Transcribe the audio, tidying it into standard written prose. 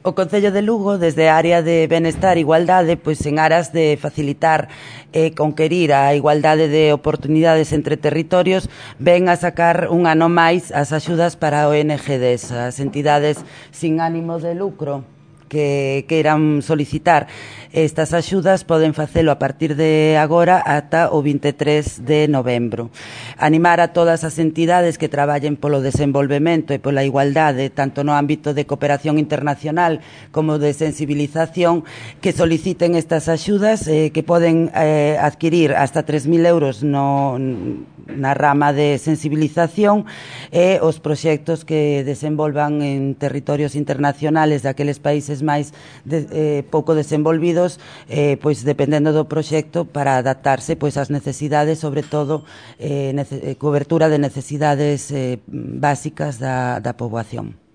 O Concello de Lugo, desde a área de Benestar e Igualdade, pois en aras de facilitar e conquerir a igualdade de oportunidades entre territorios, ven a sacar un ano máis as axudas para ONGs, as entidades sin ánimo de lucro que queiran solicitar estas axudas poden facelo a partir de agora ata o 23 de novembro. Animar a todas as entidades que traballen polo desenvolvemento e pola igualdade, tanto no ámbito de cooperación internacional como de sensibilización, que soliciten estas axudas que poden adquirir hasta 3.000 euros na rama de sensibilización e os proxectos que desenvolvan en territorios internacionales daqueles países máis pouco desenvolvidos, pois dependendo do proxecto para adaptarse pois ás necesidades, sobre todo cobertura de necesidades básicas da poboación.